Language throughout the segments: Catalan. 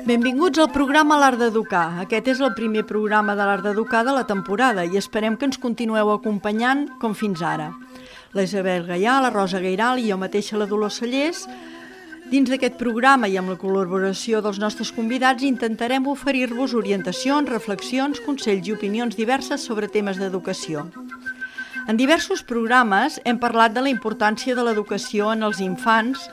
Benvinguts al programa L'Art d'Educar. Aquest és el primer programa de l'Art d'Educar de la temporada i esperem que ens continueu acompanyant com fins ara. La Isabel Gaià, la Rosa Gairal i jo mateixa, la Dolors Cellers. Dins d'aquest programa i amb la col·laboració dels nostres convidats intentarem oferir-vos orientacions, reflexions, consells i opinions diverses sobre temes d'educació. En diversos programes hem parlat de la importància de l'educació en els infants,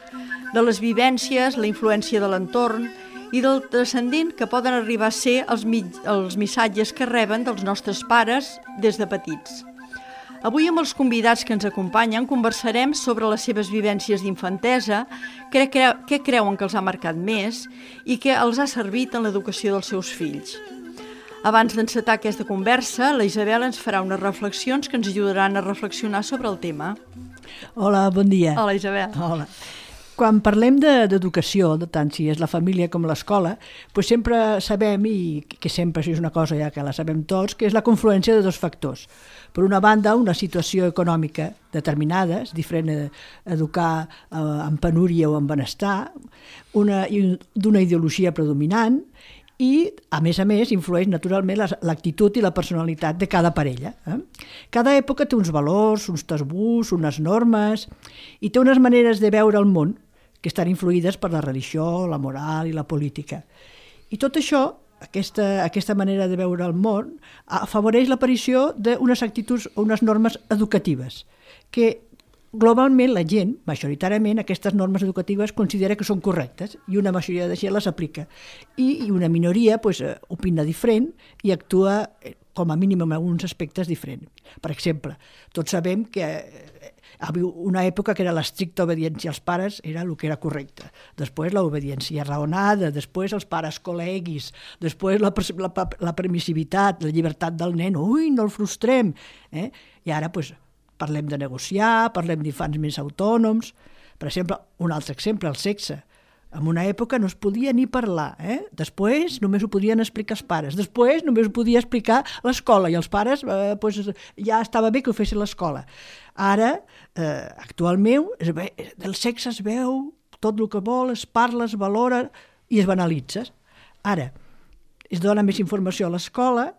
de les vivències, la influència de l'entorn i del transcendent que poden arribar a ser els missatges que reben dels nostres pares des de petits. Avui amb els convidats que ens acompanyen conversarem sobre les seves vivències d'infantesa, què creuen que els ha marcat més i què els ha servit en l'educació dels seus fills. Abans d'encetar aquesta conversa, la Isabel ens farà unes reflexions que ens ajudaran a reflexionar sobre el tema. Hola, bon dia. Hola, Isabel. Hola. Quan parlem d'educació, tant si és la família com l'escola, doncs sempre sabem, i que sempre és una cosa ja que la sabem tots, que és la confluència de dos factors. Per una banda, una situació econòmica determinada, és diferent educar en penúria o en benestar, d'una ideologia predominant, i, a més, influeix naturalment l'actitud i la personalitat de cada parella. Cada època té uns valors, uns tabús, unes normes, i té unes maneres de veure el món que estan influïdes per la religió, la moral i la política. I tot això, aquesta manera de veure el món, afavoreix l'aparició d'unes actituds o unes normes educatives, que globalment la gent, majoritàriament, aquestes normes educatives considera que són correctes i una majoria de gent les aplica. I una minoria opina diferent i actua com a mínim en alguns aspectes diferents. Per exemple, tots sabem que hi havia una època que era l'estricta obediència als pares, era el que era correcte. Després l'obediència raonada, després els pares col·leguis, després la permissivitat, la llibertat del nen, no el frustrem. I ara parlem de negociar, parlem d'infants més autònoms. Per exemple, un altre exemple, el sexe. En una època no es podia ni parlar. Després només ho podien explicar els pares. Després només ho podia explicar l'escola i els pares ja estava bé que ho fessin l'escola. Ara, actualment, del sexe es veu tot el que vol, es parla, es valora i es banalitza. Ara, es dona més informació a l'escola,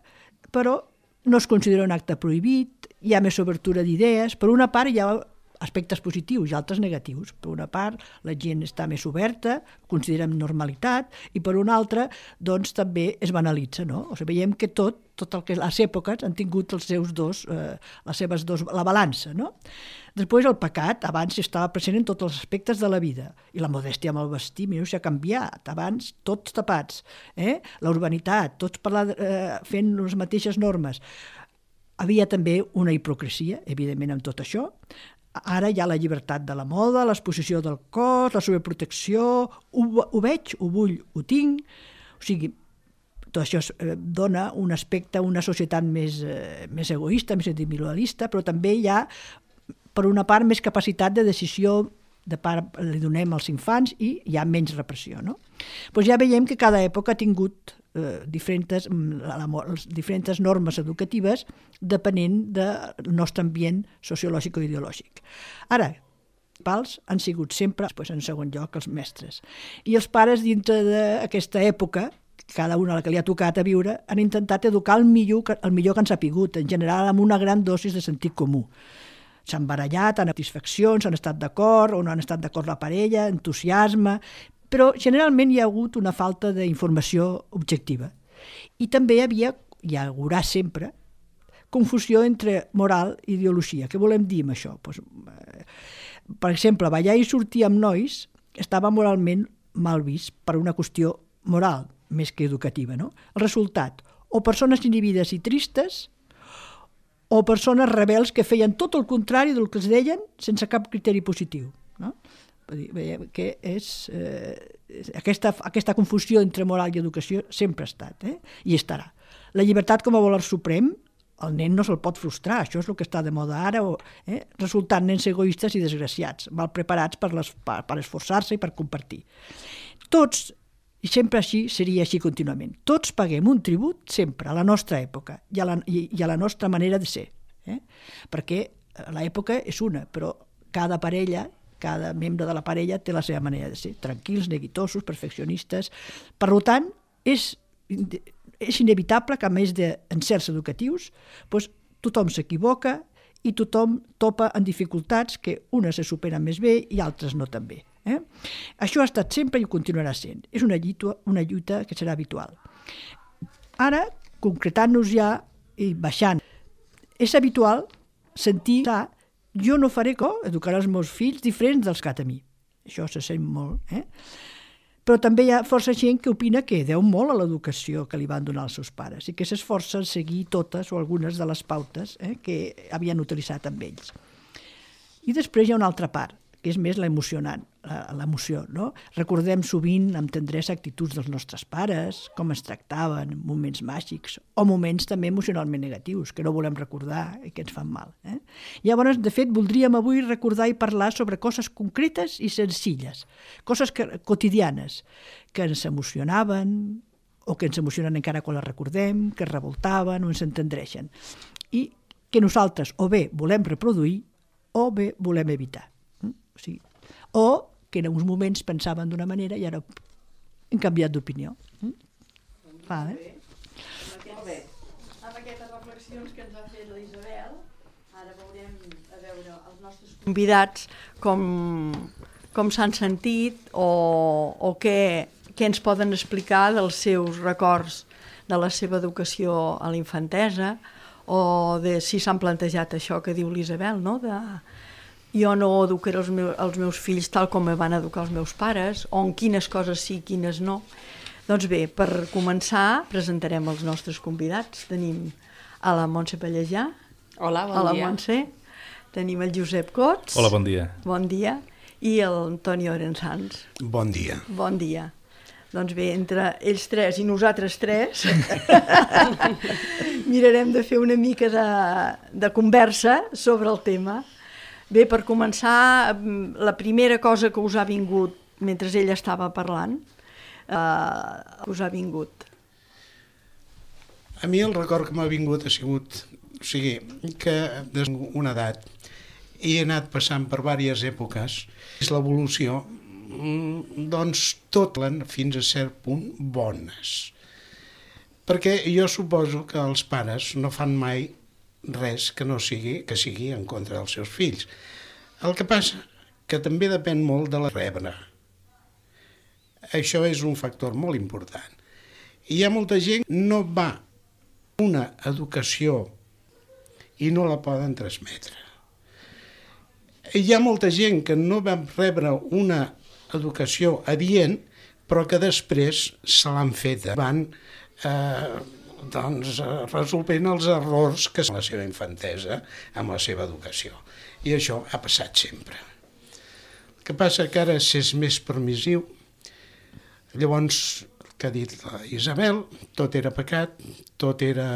però no es considera un acte prohibit, hi ha més obertura d'idees. Per una part hi ha aspectes positius i altres negatius. Per una part la gent està més oberta, considera normalitat, i per una altra doncs també es banalitza. No? Veiem que tot el que les èpoques han tingut la balança. No? Després el pecat, abans estava present en tots els aspectes de la vida, i la modèstia amb el vestir, mireu, s'ha canviat, abans tots tapats, la urbanitat, tots fent les mateixes normes. Havia també una hipocresia, evidentment, amb tot això. Ara hi ha la llibertat de la moda, l'exposició del cos, la sobreprotecció, ho veig, ho vull, ho tinc. O sigui, tot això dona un aspecte, una societat més egoista, més individualista, però també hi ha, per una part, més capacitat de decisió li donem als infants i hi ha menys repressió. No? Doncs ja veiem que cada època ha tingut diferents normes educatives depenent del nostre ambient sociològic o ideològic. Ara, els pals han sigut sempre, en segon lloc, els mestres. I els pares, dintre d'aquesta època, cada una a la que li ha tocat a viure, han intentat educar el millor que han sapigut, en general amb una gran dosis de sentit comú. S'han barallat, han satisfaccions, han estat d'acord o no han estat d'acord la parella, entusiasme, però generalment hi ha hagut una falta d'informació objectiva. I també hi haurà sempre, confusió entre moral i ideologia. Què volem dir amb això? Per exemple, ballar i sortir amb nois estava moralment mal vist per una qüestió moral, més que educativa. No? El resultat, o persones inhibides i tristes, o persones rebels que feien tot el contrari del que es deien sense cap criteri positiu. No? Veiem que aquesta confusió entre moral i educació sempre ha estat, i estarà. La llibertat com a valor suprem, el nen no se'l pot frustrar, això és el que està de moda ara, resultant nens egoistes i desgraciats, mal preparats per esforçar-se i per compartir. Tots I sempre així seria així contínuament. Tots paguem un tribut sempre a la nostra època i a la nostra manera de ser. Perquè l'època és una, però cada parella, cada membre de la parella té la seva manera de ser. Tranquils, neguitosos, perfeccionistes. Per tant, és inevitable que, a més d'encerts educatius, tothom s'equivoca i tothom topa en dificultats que unes se superen més bé i altres no tan bé. Això ha estat sempre i ho continuarà sent. És una lluita que serà habitual. Ara, concretant-nos ja i baixant, és habitual sentir que jo no faré educar els meus fills diferents dels que a mi. Això se sent molt. Però també hi ha força gent que opina que deu molt a l'educació que li van donar els seus pares i que s'esforça en seguir totes o algunes de les pautes que havien utilitzat amb ells. I després hi ha una altra part, que és més l'emocionant, l'emoció, no? Recordem sovint amb tendresa actituds dels nostres pares, com ens tractaven, moments màgics, o moments també emocionalment negatius, que no volem recordar i que ens fan mal. Llavors, de fet, voldríem avui recordar i parlar sobre coses concretes i senzilles, coses quotidianes, que ens emocionaven, o que ens emocionen encara quan les recordem, que ens revoltaven o ens entendreixen, i que nosaltres o bé volem reproduir o bé volem evitar. O que en uns moments pensaven d'una manera i ara hem canviat d'opinió. Molt bé. Amb aquestes reflexions que ens ha fet l'Isabel, ara veurem els nostres convidats com s'han sentit o què ens poden explicar dels seus records de la seva educació a la infantesa o de si s'han plantejat això que diu l'Isabel, no? Jo no educaré els meus fills tal com me van educar els meus pares, o en quines coses sí, quines no. Doncs bé, per començar, presentarem els nostres convidats. Tenim a la Montse Pallejà. Hola, bon dia. Hola, Montse. Tenim el Josep Cots. Hola, bon dia. Bon dia. I l'Antoni Orensans. Bon dia. Bon dia. Doncs bé, entre ells tres i nosaltres tres mirarem de fer una mica de conversa sobre el tema. Bé, per començar, la primera cosa que us ha vingut mentre ell estava parlant, us ha vingut? A mi el record que m'ha vingut ha sigut, que des d'una edat he anat passant per diverses èpoques, és l'evolució, doncs tot fins a cert punt bones. Perquè jo suposo que els pares no fan mai res que sigui en contra dels seus fills. El que passa que també depèn molt de la rebre. Això és un factor molt important. I hi ha molta gent que no va una educació i no la poden transmetre. Hi ha molta gent que no va rebre una educació adient, però que després se l'han feta. Van resolvent els errors que són la seva infantesa amb la seva educació. I això ha passat sempre. El que passa que ara s'és més permissiu. Llavors, el que ha dit la Isabel, tot era pecat, tot era...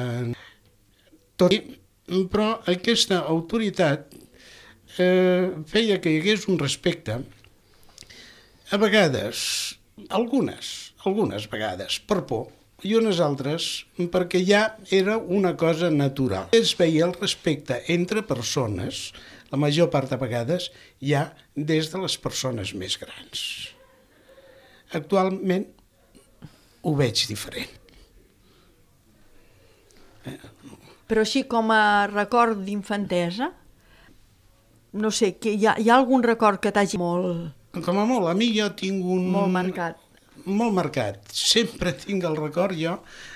Però aquesta autoritat feia que hi hagués un respecte, a vegades, algunes vegades, per por, i unes altres perquè ja era una cosa natural. Es veia el respecte entre persones, la major part de vegades, ja des de les persones més grans. Actualment ho veig diferent. Però així com a record d'infantesa, no sé, hi ha algun record que t'hagi molt... Com a molt, a mi jo tinc un... Molt marcat. Molt marcat. Sempre tinc el record jo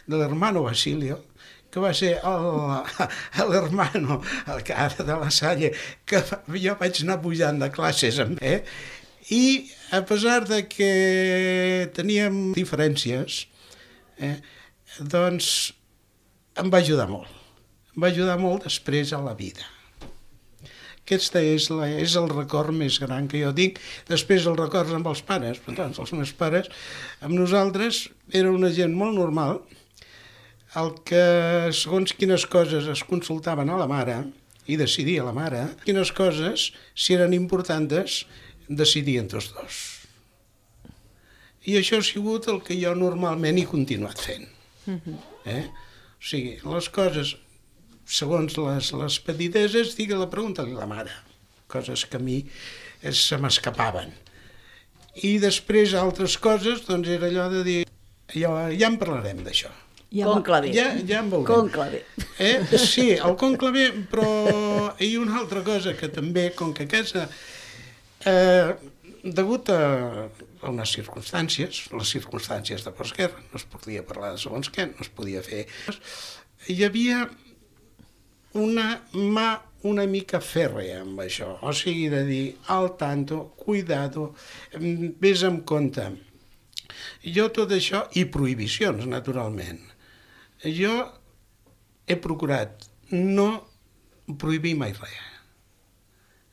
de l'hermano Basilio, que va ser l'hermano, el cara de la Salle, que jo vaig anar pujant de classes amb ell, i a pesar de que teníem diferències, doncs em va ajudar molt. Em va ajudar molt després a la vida. Aquest és el record més gran que jo tinc. Després els records amb els pares. Doncs els meus pares, amb nosaltres, era una gent molt normal, el que segons quines coses es consultaven a la mare i decidia la mare, quines coses, si eren importants, decidien tots dos. I això ha sigut el que jo normalment he continuat fent. O sigui, les coses, segons les petideses, digue-la, pregunta-li a la mare. Coses que a mi se m'escapaven. I després altres coses, doncs era allò de dir, ja en parlarem d'això. Conclave. Ja en veurem. Conclave. Sí, el conclave, però hi ha una altra cosa que també, com que aquesta, degut a unes circumstàncies, les circumstàncies de postguerra, no es podia parlar de segons què, no es podia fer, hi havia una mà una mica fèrrea amb això, o sigui, de dir, al tanto, cuidado, vés amb compte. Jo tot això, i prohibicions, naturalment, jo he procurat no prohibir mai res.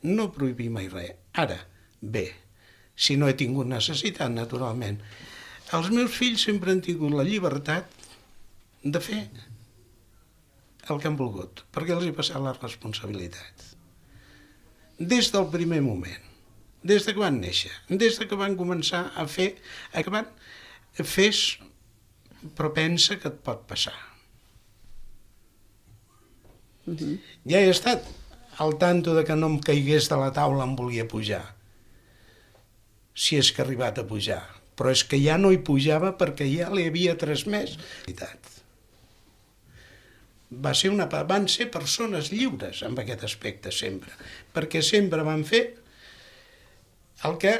No prohibir mai res. Ara, bé, si no he tingut necessitat, naturalment. Els meus fills sempre han tingut la llibertat de fer el que han volgut, perquè els he passat la responsabilitat. Des del primer moment, des que van néixer, des que van començar a fer, que van fes, però pensa que et pot passar. Ja he estat al tanto de que no em caigués de la taula em volia pujar, si és que ha arribat a pujar, però és que ja no hi pujava perquè ja li havia transmès. Van ser persones lliures en aquest aspecte sempre, perquè sempre van fer el que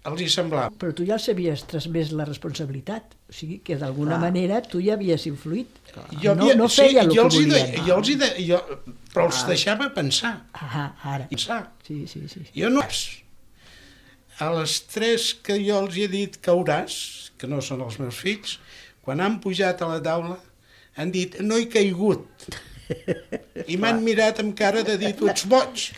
els hi semblava. Però tu ja els havies transmès la responsabilitat, o sigui que d'alguna manera tu ja havies influït. No feia el que volien. Però els deixava pensar. Ara. Pensar. Sí. Jo no... A les 3 que jo els he dit cauràs, que no són els meus fills, quan han pujat a la taula, han dit, no he caigut. I m'han mirat amb cara de dir, tu ets boig.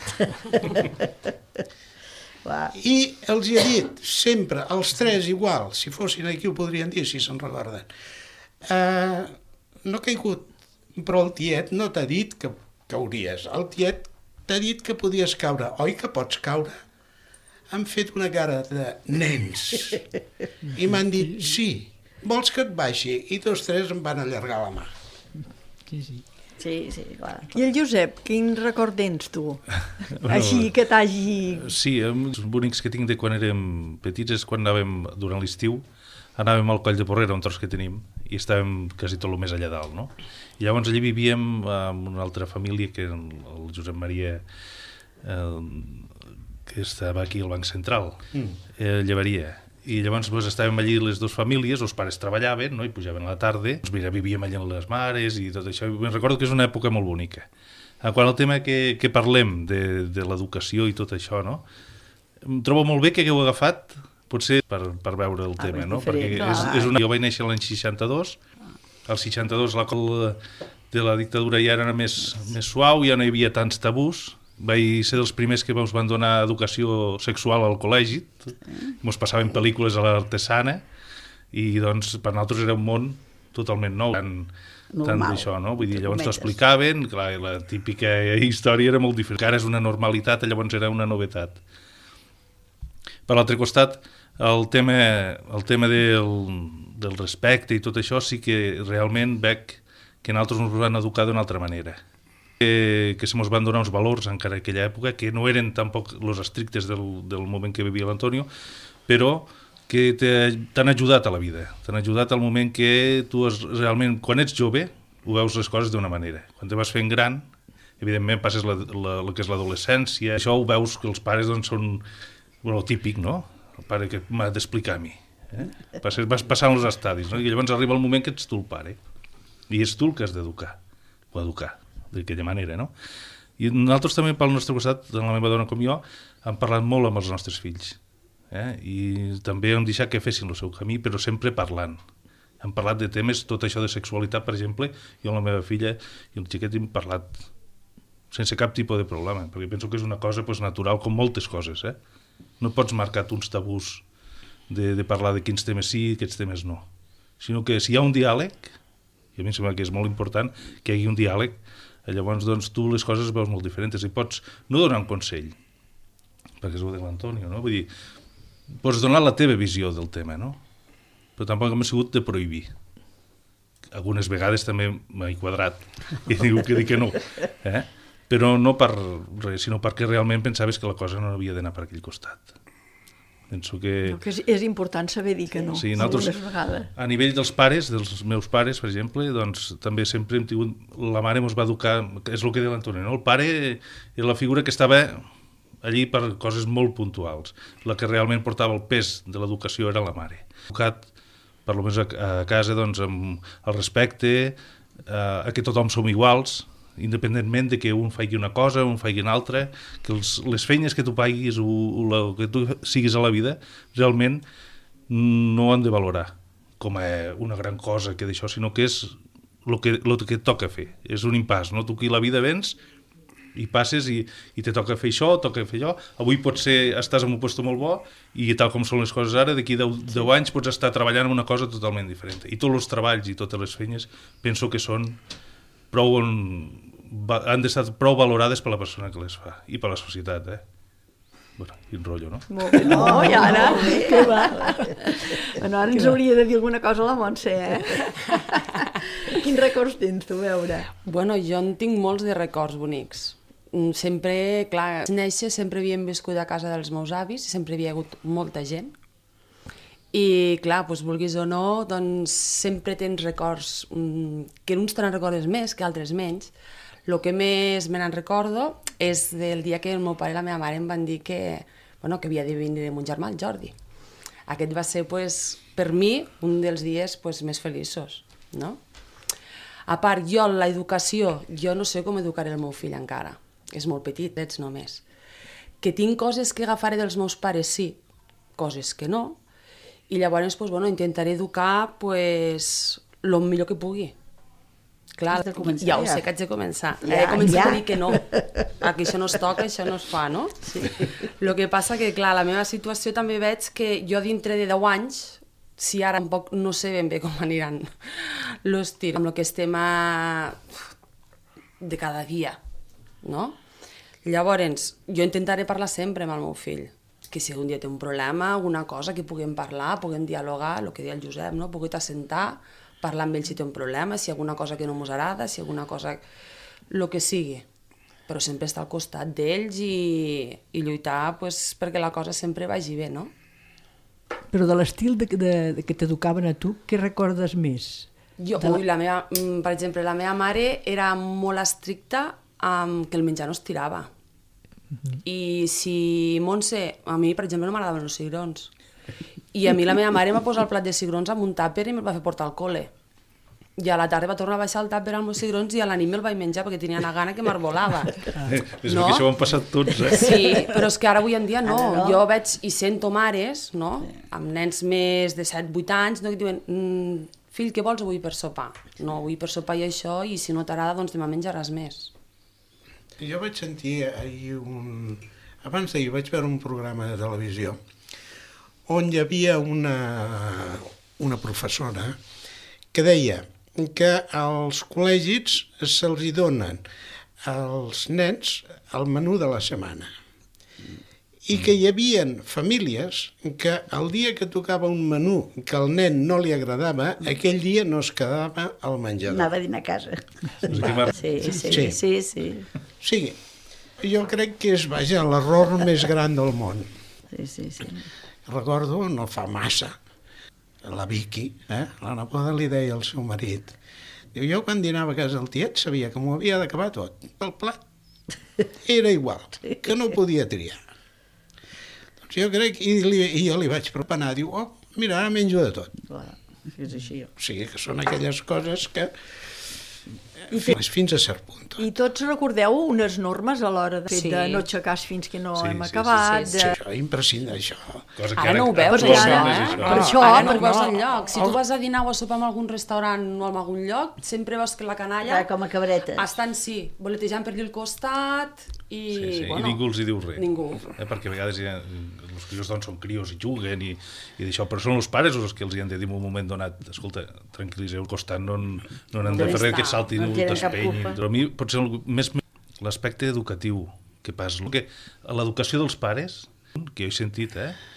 I els he dit, sempre, els 3 igual, si fossin aquí ho podrien dir, si se'n recorden. No he caigut, però el tiet no t'ha dit que cauries. El tiet t'ha dit que podies caure. Oi que pots caure? Han fet una cara de nens. I m'han dit, sí, vols que et baixi? I tots 3 em van allargar la mà. Sí, clar. I el Josep, quin record tens tu? Així que t'hagi... Sí, els bonics que tinc de quan érem petits és quan anàvem, durant l'estiu, anàvem al Coll de Porrera, un tros que tenim, i estàvem quasi tot el més allà dalt, no? I llavors allí vivíem amb una altra família, que era el Josep Maria, que estava aquí al Banc Central, Llevaria. I llavors estàvem allí les dues famílies, els pares treballaven, no? I pujaven a la tarda, vivíem allà amb les mares i tot això. I recordo que és una època molt bonica. Quan el tema que parlem de l'educació i tot això, no? Em trobo molt bé que hagueu agafat, potser per veure el tema, no? Perquè jo vaig néixer l'any 62, al 62 la cola de la dictadura ja era més suau, ja no hi havia tants tabús. Vaig ser dels primers que ens van donar educació sexual al col·legi, ens passaven pel·lícules a l'Artesana i doncs per nosaltres era un món totalment nou, tant d'això, no? Vull dir, llavors t'ho explicaven, clar, la típica història era molt diferent, ara és una normalitat, llavors era una novetat. Per l'altre costat, el tema del respecte i tot això sí que realment veig que nosaltres ens van educar d'una altra manera. Que se mos van donar uns valors encara en aquella època que no eren tampoc els estrictes del moment que vivia l'Antonio, però que t'han ajudat a la vida, t'han ajudat al moment que tu realment, quan ets jove, ho veus les coses d'una manera. Quan te vas fent gran, evidentment passes el que és l'adolescència, això ho veus que els pares doncs, són el típic, no? El pare que m'ha d'explicar a mi. Vas passant els estadis, no? I llavors arriba el moment que ets tu el pare, i és tu el que has d'educar, o educar d'aquella manera, no? I nosaltres també, pel nostre costat, tant la meva dona com jo, hem parlat molt amb els nostres fills. I també hem deixat que fessin el seu camí, però sempre parlant. Hem parlat de temes, tot això de sexualitat, per exemple, jo amb la meva filla i el xiquet hem parlat sense cap tipus de problema, perquè penso que és una cosa natural com moltes coses. No pots marcar uns tabús de parlar de quins temes sí i quins temes no, sinó que si hi ha un diàleg, i a mi em sembla que és molt important que hi hagi un diàleg, llavors doncs, tu les coses veus molt diferents i pots no donar un consell, perquè és el de l'Antonio, no? Vull dir, pots donar la teva visió del tema, no? però tampoc m'ha sigut de prohibir. Algunes vegades també m'he quadrat i dic que no. Però no per res, sinó perquè realment pensaves que la cosa no havia d'anar per aquell costat. Penso que... No, que és important saber dir que no, sí, algunes vegades. A nivell dels pares, dels meus pares, per exemple, doncs també sempre hem tingut... La mare ens va educar, és el que deia l'Antoni, no? El pare era la figura que estava allí per coses molt puntuals. La que realment portava el pes de l'educació era la mare. Educat, per almenys a casa, doncs, amb el respecte, a que tothom som iguals, independentment de que un faci una cosa, un faci una altra, que les feines que tu paguis o el que tu siguis a la vida, realment no han de valorar com a una gran cosa que d'això, sinó que és el que et toca fer. És un impàs, no? Tu aquí la vida vens i passes i te toca fer això, toca fer allò. Avui potser estàs en un lloc molt bo i tal com són les coses ara, d'aquí 10 anys pots estar treballant en una cosa totalment diferent. I tots els treballs i totes les feines penso que són han d'estar prou valorades per la persona que les fa i per la societat, Bueno, quin rotllo, no? Molt bé, no, i ara? Què va? Bueno, ara ens hauria de dir alguna cosa a la Montse, Quins records tens tu, a veure? Bueno, jo en tinc molts de records bonics. Sempre, clar, néixer sempre havíem viscut a casa dels meus avis, sempre hi havia hagut molta gent. I, clar, doncs, vulguis o no, doncs sempre tens records, que uns te'n recordes més que altres menys. El que més me n'en recordo és del dia que el meu pare i la meva mare em van dir que havia de venir mon germà, el Jordi. Aquest va ser, per mi, un dels dies més feliços, no? A part, jo, l'educació, jo no sé com educaré el meu fill encara. És molt petit, ets només. Que tinc coses que agafaré dels meus pares, sí, coses que no, i llavors intentaré educar el millor que pugui. Clar, ja ho sé que haig de començar. He començat a dir que no. Aquí això no es toca, això no es fa, no? Sí. El que passa que, clar, la meva situació també veig que jo dintre de 10 anys, si ara tampoc no sé ben bé com aniran els tirs, amb el que estem de cada dia, no? Llavors, jo intentaré parlar sempre amb el meu fill, que si un dia té un problema, alguna cosa, que puguem parlar, puguem dialogar, el que deia el Josep, no? Puguem assentar, parlar amb ell si té un problema, si hi ha alguna cosa que no ens agrada, si hi ha alguna cosa... el que sigui. Però sempre estar al costat d'ells i lluitar perquè la cosa sempre vagi bé, no? Però de l'estil que t'educaven a tu, què recordes més? Per exemple, la meva mare era molt estricta amb que el menjar no es tirava. I si Montse... A mi, per exemple, no m'agradaven els cigrons. I a mi la meva mare em va posar el plat de cigrons amb un tàper i me'l va fer portar al col·le. I a la tarda va tornar a baixar el tàper amb els cigrons i a la nit me'l vaig menjar perquè tenia una gana que m'arbolava. És que això ho han passat tots, Sí, però és que ara avui en dia no. Jo veig i sento mares, no?, amb nens més de 7-8 anys, que diuen, fill, què vols avui per sopar? No, avui per sopar i això, i si no t'agrada, doncs demà menjaràs més. Jo vaig sentir ahir abans d'ahir vaig veure un programa de televisió on hi havia una professora que deia que als col·legis se'ls donen als nens el menú de la setmana i que hi havia famílies que el dia que tocava un menú que al nen no li agradava, aquell dia no es quedava al menjador. Anava a dinar a casa. Sí. O sigui, jo crec que és, l'error més gran del món. Sí. Recordo, no fa massa, la Vicky, la neboda li deia al seu marit, diu, jo quan dinava a casa del tiet sabia que m'ho havia d'acabar tot, el plat era igual, que no podia triar. Doncs jo crec, i jo li vaig preparar, diu, mira, ara menjo de tot. Clar, és així. O sigui, que són aquelles coses que fins a cert punt. I tots recordeu unes normes a l'hora de no aixecar fins que no hem acabat? Sí, això, imprescindible, això. Ara no ho veus, això, Per això, ara no ho veus enlloc. Si tu vas a dinar o a sopar en algun restaurant o en algun lloc, sempre veus que la canalla... Com a cabretes. Estan, voletejant per allà al costat i... I ningú els hi diu res. Ningú. Perquè a vegades els crios doncs són crios i juguen i d'això, però són els pares els que els hi han de dir en un moment donat, escolta, tranquil·litzeu al costat, no han de fer res que saltin o t'espenyin. Però a mi potser més l'aspecte educatiu que pas. L'educació dels pares que jo he sentit,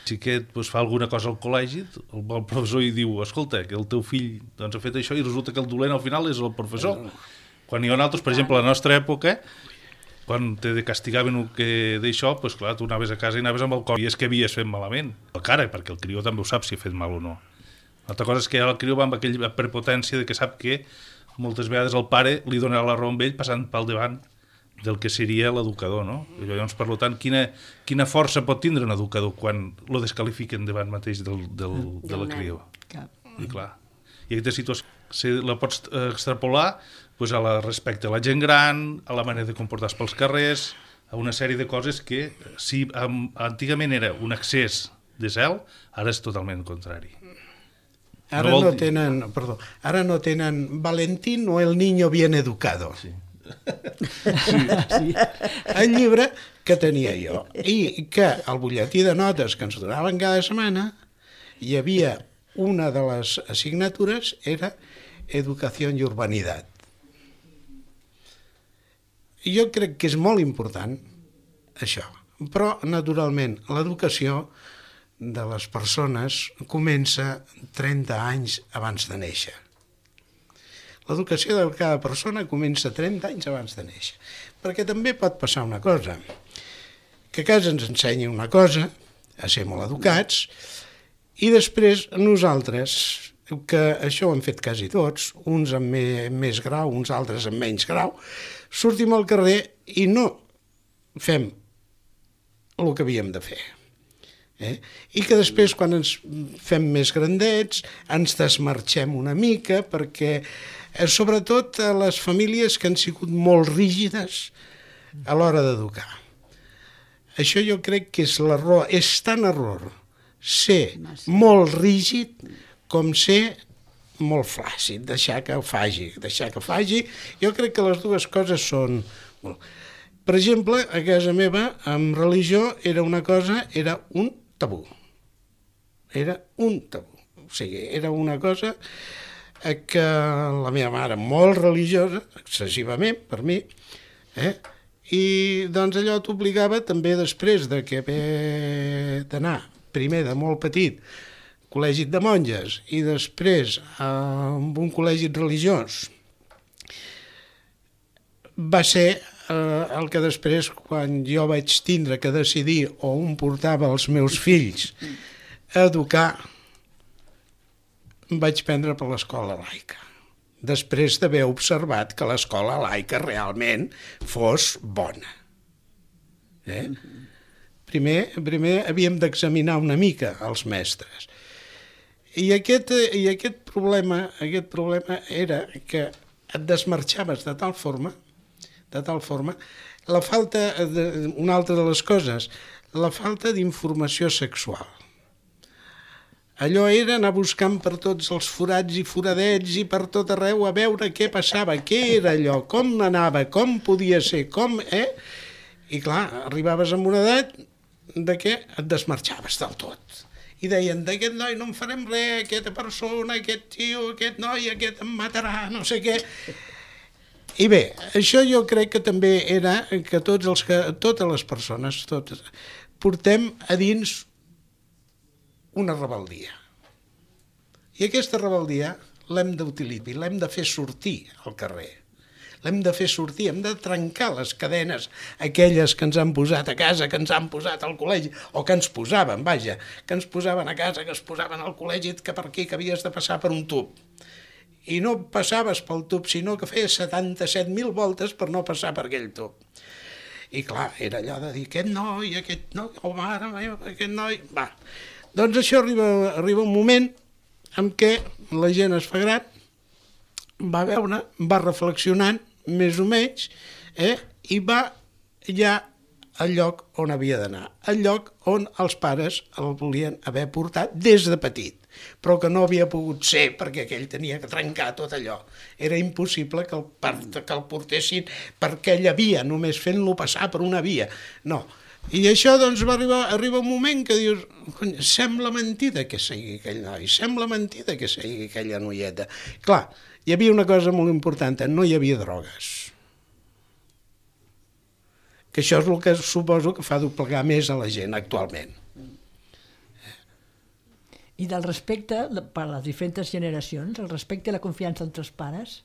si aquest fa alguna cosa al col·legi, el professor hi diu, escolta, que el teu fill ha fet això i resulta que el dolent al final és el professor. Quan hi ha altres, per exemple, a la nostra època, quan te castigaven d'això, clar, tu anaves a casa i anaves amb el cor i és que havies fet malament. La cara, perquè el crió també ho sap si ha fet mal o no. L'altra cosa és que el crió va amb aquella prepotència de que sap que moltes vegades el pare li donarà la raó amb ell passant pel davant del que seria l'educador, no? Llavors, per tant, quina força pot tindre un educador quan lo descalifiquen davant mateix de la crió? I clar, i aquesta situació la pots extrapolar respecte a la gent gran, a la manera de comportar-se pels carrers, a una sèrie de coses que, si antigament era un excés de zel, ara és totalment contrari. Ara no tenen Valentín o el niño bien educado. Sí. El llibre que tenia jo i que al butlletí de notes que ens donaven cada setmana hi havia una de les assignatures era Educació i Urbanitat. Jo crec que és molt important això, però naturalment l'educació de les persones comença 30 anys abans de néixer. L'educació de cada persona comença 30 anys abans de néixer. Perquè també pot passar una cosa, que a casa ens ensenyi una cosa, a ser molt educats, i després nosaltres, que això ho hem fet quasi tots, uns amb més grau, uns altres amb menys grau, sortim al carrer i no fem el que havíem de fer. I que després, quan ens fem més grandets, ens desmarxem una mica, perquè sobretot a les famílies que han sigut molt rígides a l'hora d'educar. Això jo crec que és l'error, és tan error ser molt rígid com ser molt flàcid, deixar que faci. Jo crec que les dues coses són... Per exemple, a casa meva, amb religió, era un tabú. Era un tabú. O sigui, era una cosa que la meva mare, molt religiosa, excessivament, per mi, i doncs allò t'obligava també després d'anar primer de molt petit col·legi de monges i després amb un col·legi religiós va ser el que després, quan jo vaig tindre que decidir on portava els meus fills a educar, vaig prendre per l'escola laica, després d'haver observat que l'escola laica realment fos bona. Primer havíem d'examinar una mica els mestres. I aquest problema era que et desmarxaves de tal forma, una altra de les coses, la falta d'informació sexual. Allò era anar buscant per tots els forats i foradets i per tot arreu a veure què passava, què era allò, com anava, com podia ser, I clar, arribaves a una edat de què et desmarxaves del tot. I deien, d'aquest noi no en farem res, aquesta persona, aquest tio, aquest noi, aquest em matarà, no sé què. I bé, això jo crec que també era que totes les persones, portem a dins una rebel·lia. I aquesta rebel·lia l'hem d'utilitzar, l'hem de fer sortir al carrer. L'hem de fer sortir, hem de trencar les cadenes aquelles que ens han posat a casa, que ens han posat al col·legi, o que ens posaven, que ens posaven a casa, que es posaven al col·legi, que per aquí, que havies de passar per un tub. I no passaves pel tub, sinó que feies 77.000 voltes per no passar per aquell tub. I clar, era allò de dir, aquest noi, oh mare meva, aquest noi... Va. Doncs això arriba un moment en què la gent es fa gran, va veure, va reflexionant, més o menys, i va ja al lloc on havia d'anar, al lloc on els pares el volien haver portat des de petit, però que no havia pogut ser perquè aquell tenia que trencar tot allò. Era impossible que el portessin per aquella via, només fent-lo passar per una via. No. I això doncs va arribar un moment que dius, sembla mentida que sigui aquell noi, sembla mentida que sigui aquella noieta. Clar, hi havia una cosa molt important, no hi havia drogues. que això és el que suposo que fa doblegar més a la gent actualment. I del respecte per a les diferents generacions, el respecte i la confiança entre els pares,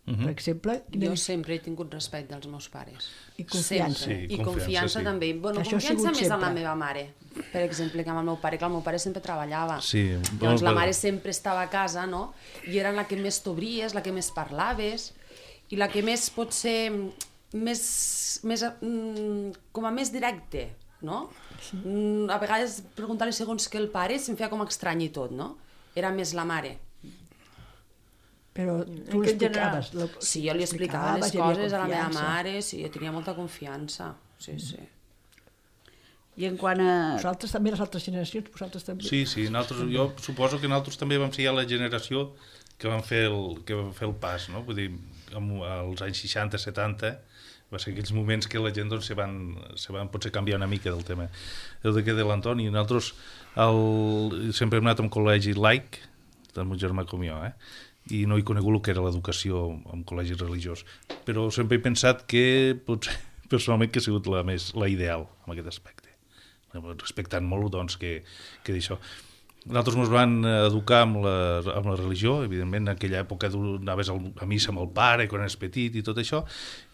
per exemple... Jo sempre he tingut respecte als meus pares. I confiança. Sempre. Sí, I confiança sí. també. Bueno, Això ha confiança sigut més en la sempre. meva mare, per exemple, que amb el meu pare, que el meu pare sempre treballava. Sí, Llavors la però- mare sempre estava a casa, no? I era la que més t'obries, la que més parlaves, i la que més pot ser com a més directe, no? A vegades preguntar-li segons que el pare se'm feia com estrany i tot, no? Era més la mare. Però tu En què l'explicaves. Sí, jo li explicava les hi havia coses a la meva confiança. mare, sí, jo tenia molta confiança. Sí, sí. I en quant a... Vosaltres també, les altres generacions, vosaltres també. Sí, jo suposo que nosaltres també vam ser ja la generació que vam fer el pas, no? Vull dir, als anys 60, 70, va ser aquells moments que la gent doncs, se van potser canviar una mica del tema. El de l'Antoni, nosaltres sempre hem anat a un col·legi laic, del meu germà com jo, i no he conegut el que era l'educació en col·legi religiós, però sempre he pensat que potser personalment que ha sigut la ideal en aquest aspecte, respectant molt doncs, que d'això. Nosaltres ens van educar amb la religió, evidentment, en aquella època anaves a missa amb el pare quan eres petit i tot això,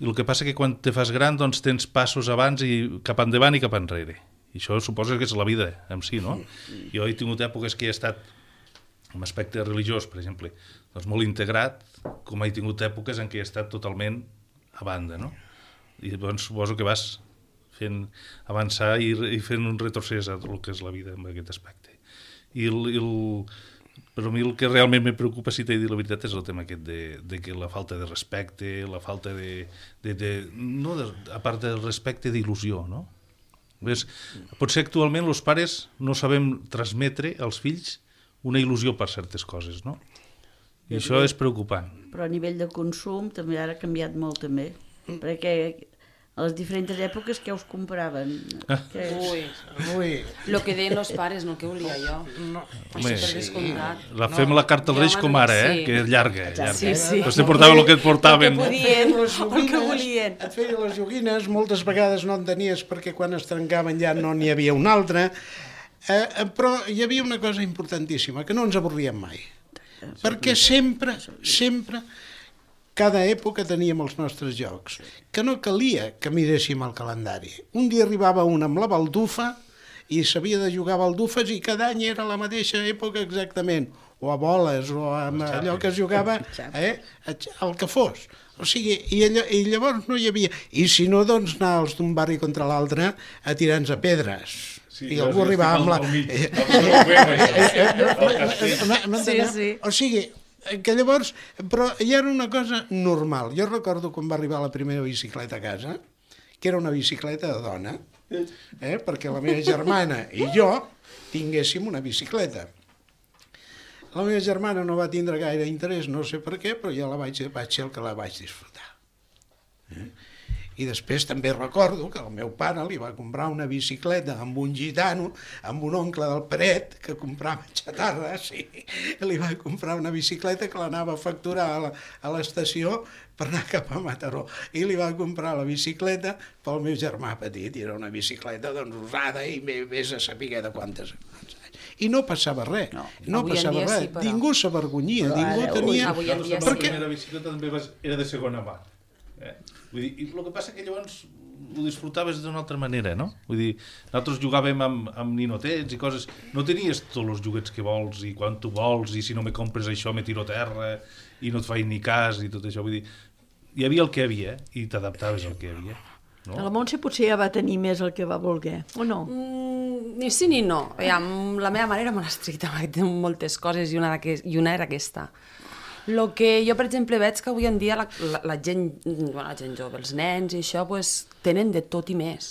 i el que passa que quan te fas gran doncs tens passos abans i cap endavant i cap enrere. I això suposa que és la vida en si, no? Jo he tingut èpoques que he estat en aspecte religiós, per exemple, doncs molt integrat, com he tingut èpoques en què he estat totalment a banda, no? I doncs suposo que vas fent avançar i fent un retrocés a el que és la vida en aquest aspecte. Però a mi el que realment me preocupa, si t'he dit la veritat, és el tema aquest de que la falta de respecte, la falta a part del respecte, d'il·lusió, no? Potser actualment els pares no sabem transmetre als fills una il·lusió per certes coses, no? I això és preocupant. Però a nivell de consum també ara ha canviat molt també, perquè a les diferents èpoques què us compraven? Ui, El que deien els pares, no el que volia jo. Home, per descomptat. fem la carta als Reis Jo, com ara, sí. que és llarga. Sí, sí. Però te portaven el que et portaven. El que podien, el que volien. et feia les joguines, moltes vegades no en tenies perquè quan es trencaven ja no n'hi havia una altra, però hi havia una cosa importantíssima, que no ens avorríem mai. Perquè sempre, cada època teníem els nostres jocs, que no calia que miréssim el calendari. Un dia arribava un amb la baldufa i s'havia de jugar a baldufes i cada any era la mateixa època exactament, o a boles, o a allò que es jugava, el que fos. O sigui, i llavors no hi havia... I si no, doncs anar els d'un barri contra l'altre a tirar-nos a pedres. I algú arribava amb la... Sí. O sigui, que llavors... Però ja era una cosa normal. Jo recordo quan va arribar la primera bicicleta a casa, que era una bicicleta de dona, perquè la meva germana i jo tinguéssim una bicicleta. La meva germana no va tindre gaire interès, no sé per què, però ja vaig ser el que la vaig disfrutar. I després també recordo que el meu pare li va comprar una bicicleta amb un gitano, amb un oncle del Peret, que comprava xatarra, sí. Li va comprar una bicicleta que l'anava a facturar a l'estació per anar cap a Mataró. I li va comprar la bicicleta pel meu germà petit, i era una bicicleta doncs usada i vés a saber de quantes anys. I no passava res, no Avui en passava dia res. sí, però- Ningú s'avergonyia, ningú tenia... avui en dia La sí. primera bicicleta també era de segona mà. Vull dir, i el que passa que llavors ho disfrutaves d'una altra manera, no? Vull dir, nosaltres jugàvem amb ninotets i coses... No tenies tots els joguets que vols i quan tu vols i si no me compres això me tiro a terra i no et faig ni cas i tot això. Vull dir, hi havia el que hi havia i t'adaptaves al que hi havia. No? La Montse potser ja va tenir més el que va voler, o no? Ni sí ni no. La meva mare era molt estricta amb moltes coses i una era aquesta. El que jo, per exemple, veig que avui en dia la gent jove, els nens i això, pues, tenen de tot i més.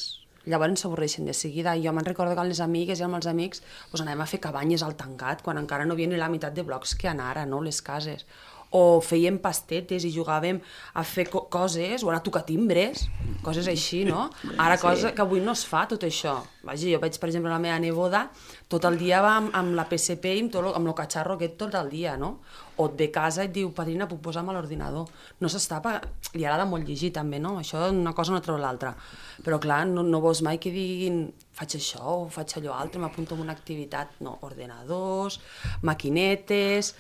Llavors s'avorreixen de seguida. Jo me'n recordo que amb les amigues i amb els amics pues, anàvem a fer cabanyes al tancat quan encara no havia ni la meitat de blocs que han ara, no?, les cases. o fèiem pastetes i jugàvem a fer coses, o anar a tocar timbres, coses així, no? Ara, cosa que avui no es fa, tot això. Vaja, jo veig, per exemple, la meva neboda, tot el dia va amb la PSP i amb el catxarro aquest tot el dia, no? O et ve a casa i et diu, padrina, puc posar-me a l'ordinador. No s'està... Li agrada molt llegir, també, no? Això una cosa no treu l'altra. Però, clar, no veus mai que diguin faig això o faig allò altre, m'apunto en una activitat. No, ordenadors, maquinetes,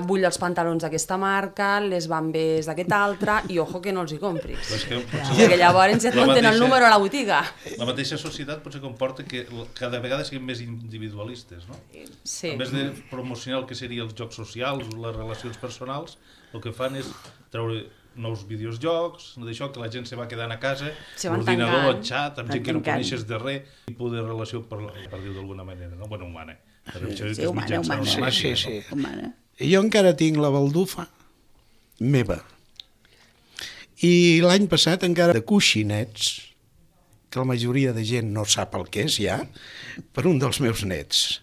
vull els pantalons d'aquesta marca, les bambes d'aquesta altra, i ojo que no els hi compris. Perquè llavors et munten el número a la botiga. La mateixa societat potser comporta que cada vegada siguem més individualistes, no? Sí. En vez de promocionar el que serien els jocs socials, les relacions personals, el que fan és treure nous videojocs, d'això que la gent se va quedant a casa, l'ordinador, el xat, amb gent que no coneixes de res, tipus de relació, per dir-ho d'alguna manera, no? Bueno, humana. Sí, humana. Jo encara tinc la baldufa meva. I l'any passat encara de coixinets, que la majoria de gent no sap el que és ja, per un dels meus nets.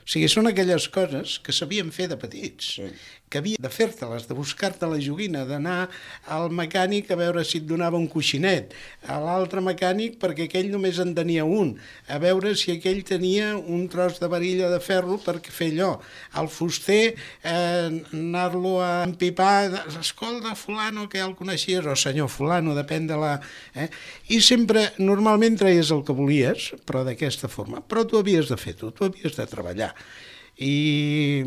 O sigui, són aquelles coses que sabíem fer de petits, que havia de fer-te-les, de buscar-te la joguina, d'anar al mecànic a veure si et donava un coixinet, a l'altre mecànic perquè aquell només en tenia un, a veure si aquell tenia un tros de varilla de ferro per fer allò, al fuster anar-lo a empipar, escolta, fulano, que ja el coneixies, o senyor fulano, depèn de la... I sempre, normalment treies el que volies, però d'aquesta forma, però tu havies de fer tu havies de treballar. I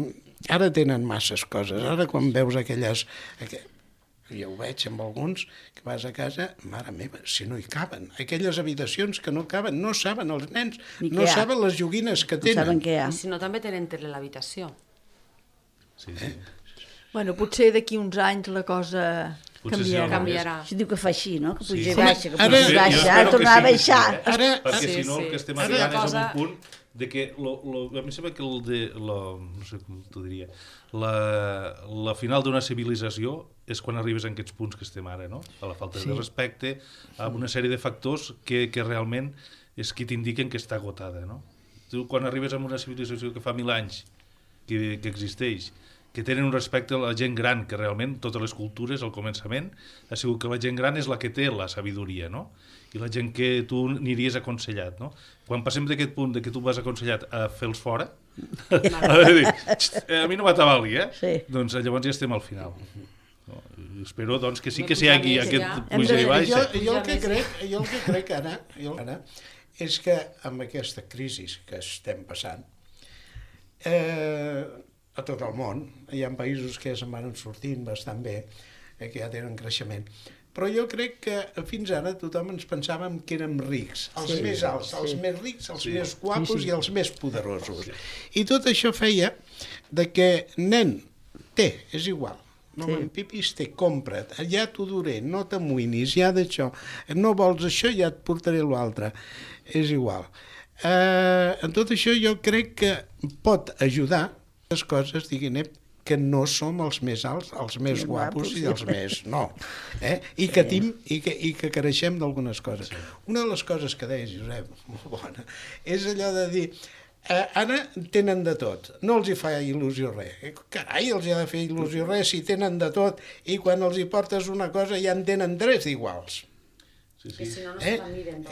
ara tenen masses coses. Ara quan veus aquelles... Jo ho veig amb alguns, que vas a casa, mare meva, si no hi caben. Aquelles habitacions que no caben, no saben els nens, no saben les joguines que tenen. No saben què hi ha. I si no, també tenen tele a l'habitació. Sí. Bueno, potser d'aquí uns anys la cosa canviarà. Això diu que fa així, no? Que puja i baixa, que puja i baixa, tornar a baixar. Perquè si no el que estem arribant és a un punt de que, a mi sembla que no sé com t'ho diria, la final d'una civilització és quan arribes a aquests punts que estem ara, no? A la falta de respecte, a una sèrie de factors que realment és qui t'indiquen que està agotada, no? Tu quan arribes a una civilització que fa 1000 anys que existeix, que tenen un respecte a la gent gran, que realment totes les cultures al començament ha sigut que la gent gran és la que té la sabidoria, no? I la gent que tu aniries aconsellat, no? Quan passem d'aquest punt de que tu vas aconsellat a fer-los fora, a mi no m'atabali, doncs llavors ja estem al final. Espero doncs que sí que s'hi hagi aquest puja i baixa. Jo el que crec ara és que amb aquesta crisi que estem passant, a tot el món, hi ha països que se'n van sortint bastant bé, que ja tenen creixement, però jo crec que fins ara tothom ens pensàvem que érem rics, els més alts, els més rics, els més guapos i els més poderosos. I tot això feia de que, nen, és igual, no m'empipis, compra't, ja t'ho duré, no t'amoïnis, ja d'això, no vols això, ja et portaré l'altre, és igual. En tot això jo crec que pot ajudar les coses, diguin, que no som els més alts, els més guapos i els més... No. I que creixem d'algunes coses. Una de les coses que deies, Josep, molt bona, és allò de dir ara tenen de tot, no els hi fa il·lusió res. Carai, els hi ha de fer il·lusió res si tenen de tot i quan els hi portes una cosa ja en tenen 3 d'iguals. Que si no, no se la miren.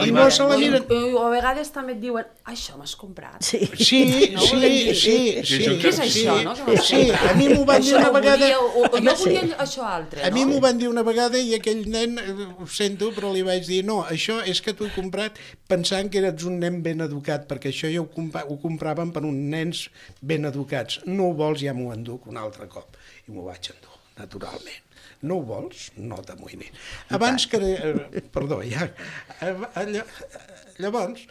I no se la miren. O a vegades també et diuen, això m'has comprat. Sí. Què és això, no? Sí, a mi m'ho van dir una vegada... Jo volia això altre, no? A mi m'ho van dir una vegada i aquell nen, ho sento, però li vaig dir, no, això és que t'ho he comprat pensant que eres un nen ben educat, perquè això ja ho compraven per uns nens ben educats. No ho vols, ja m'ho enduc un altre cop. I m'ho vaig endur, naturalment. No ho vols? No t'amoïnis. Abans que... Perdó, ja... Llavors,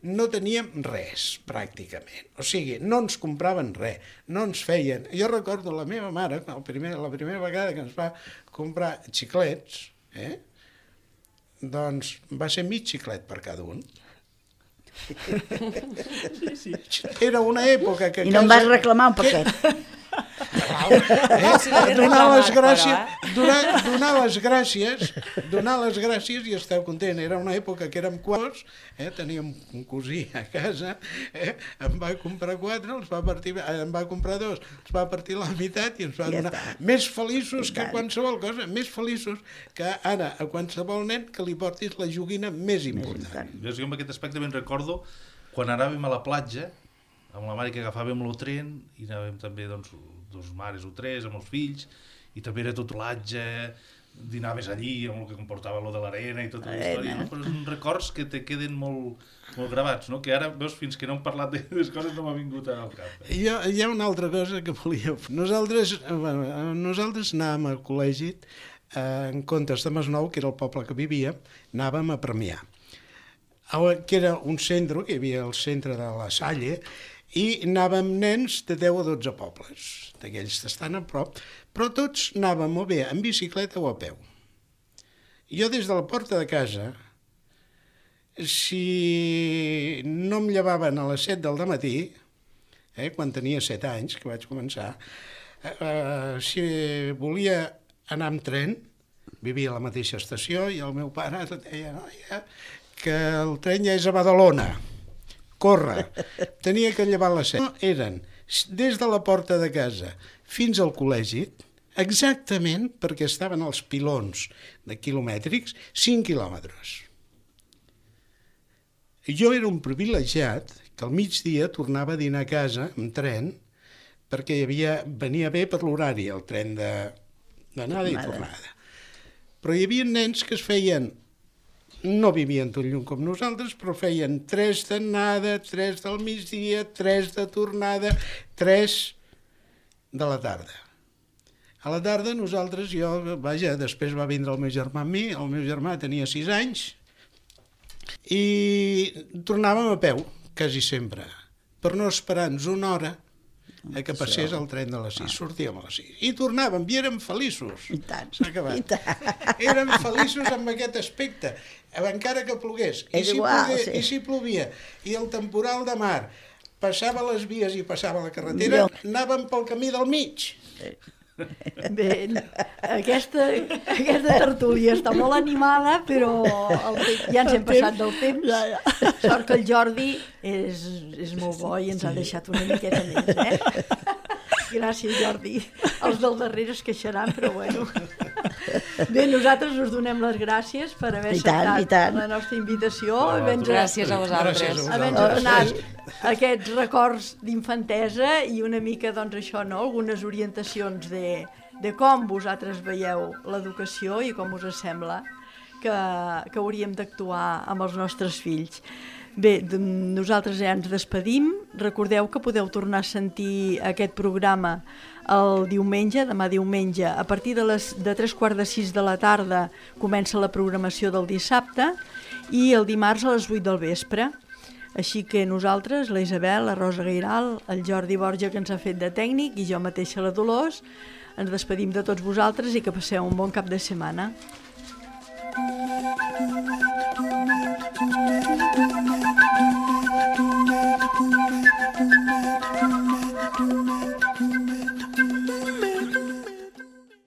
no teníem res, pràcticament. O sigui, no ens compraven res, no ens feien... Jo recordo la meva mare, la primera vegada que ens va comprar xiclets, doncs va ser mig xiclet per cada un. Era una època que... I no em vas reclamar un paquet. donar les gràcies i esteu content. Era una època que érem quadros, teníem un cosí a casa, em va comprar 4, em va comprar 2, els va partir la meitat i ens va donar més feliços que qualsevol cosa, més feliços que ara a qualsevol nen que li portis la joguina més important. Jo en aquest aspecte ben recordo quan anàvem a la platja amb la mare que agafàvem el tren i anàvem també doncs, 2 mares o 3 amb els fills i també era tot platja, dinaves allí amb el que comportava lo de l'arena i tota la història, no? Però són records que te queden molt gravats, no? Que ara veus fins que no hem parlat de les coses no m'ha vingut al cap. Hi ha una altra cosa que volia... Nosaltres anàvem al col·legi en comptes de Masnou, que era el poble que vivia, anàvem a Premià, que era un centre, que hi havia el centre de la Salle, i anàvem nens de 10 o 12 pobles, d'aquells que estan a prop, però tots anàvem o bé en bicicleta o a peu. Jo des de la porta de casa, si no em llevaven a les 7 del matí, quan tenia 7 anys, que vaig començar, si volia anar amb tren, vivia a la mateixa estació, i el meu pare deia que el tren ja és a Badalona, corre. Tenia que llevar les 7. Eren des de la porta de casa fins al col·legi, exactament perquè estaven els pilons de quilomètrics, 5 quilòmetres. Jo era un privilegiat que al migdia tornava a dinar a casa amb tren perquè venia bé per l'horari, el tren d'anada i tornada. Però hi havia nens que es feien, no vivien tot lluny com nosaltres, però feien 3 d'anada, 3 del migdia, 3 de tornada, 3 de la tarda. A la tarda nosaltres, després va vindre el meu germà amb mi, el meu germà tenia 6 anys, i tornàvem a peu, quasi sempre, per no esperar-nos una hora que passés el tren de les 6. Sortíem a les 6. I tornàvem, i érem feliços. I tant. S'ha acabat. Érem feliços amb aquest aspecte, encara que plogués. I si plovia, i el temporal de mar passava les vies i passava la carretera, anàvem pel camí del mig. Bé, aquesta tertúlia està molt animada, però ja ens hem passat del temps. Sort que el Jordi és molt bo i ens ha deixat una miqueta més, Gràcies, Jordi. Els del darrere es queixaran, però bueno. Bé, nosaltres us donem les gràcies per haver acceptat la nostra invitació. Gràcies a vosaltres. Havent-nos donat aquests records d'infantesa i una mica, doncs això, no? Algunes orientacions de com vosaltres veieu l'educació i com us sembla que hauríem d'actuar amb els nostres fills. Bé, nosaltres ja ens despedim. Recordeu que podeu tornar a sentir aquest programa el diumenge, demà diumenge, a partir de 3:45 de la tarda comença la programació del dissabte i el dimarts a les 8 del vespre. Així que nosaltres, la Isabel, la Rosa Gairal, el Jordi Borja, que ens ha fet de tècnic, i jo mateixa, la Dolors, ens despedim de tots vosaltres i que passeu un bon cap de setmana. Thank you.